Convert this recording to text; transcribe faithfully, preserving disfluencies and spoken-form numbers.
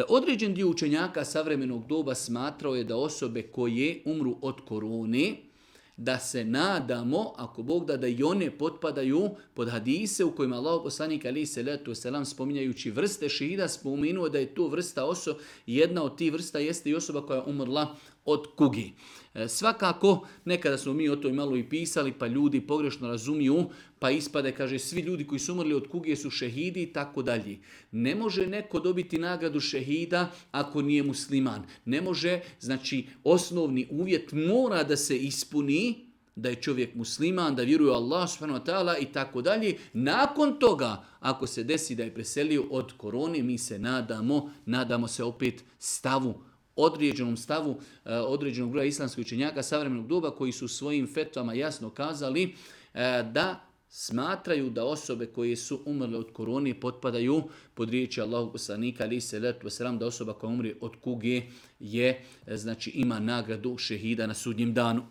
Određen dio učenjaka savremenog doba smatrao je da osobe koje umru od korone, da se nadamo, ako Bog da, da i one potpadaju pod hadise u kojima Allah poslanik alejhi selatu vesselam spominjajući vrste šehida spomenuo da je to vrsta osoba, jedna od tih vrsta jeste i osoba koja je umrla od kugi. E, svakako, nekada smo mi o toj malo i pisali, pa ljudi pogrešno razumiju, pa ispade, kaže, svi ljudi koji su umrli od kuge su šehidi i tako dalje. Ne može neko dobiti nagradu šehida ako nije musliman. Ne može, znači, osnovni uvjet mora da se ispuni, da je čovjek musliman, da vjeruje u Allah subhanahu wa ta'ala i tako dalje. Nakon toga, ako se desi da je preselio od korone, mi se nadamo, nadamo se opet stavu, određenom stavu određenog broja islamskih učenjaka savremenog doba koji su svojim fetvama jasno kazali da smatraju da osobe koje su umrle od korone potpadaju pod riječi Allahog poslanika alejhi selatu vesselam, da osoba koja umre od kuge je, znači ima nagradu šehida na sudnjem danu.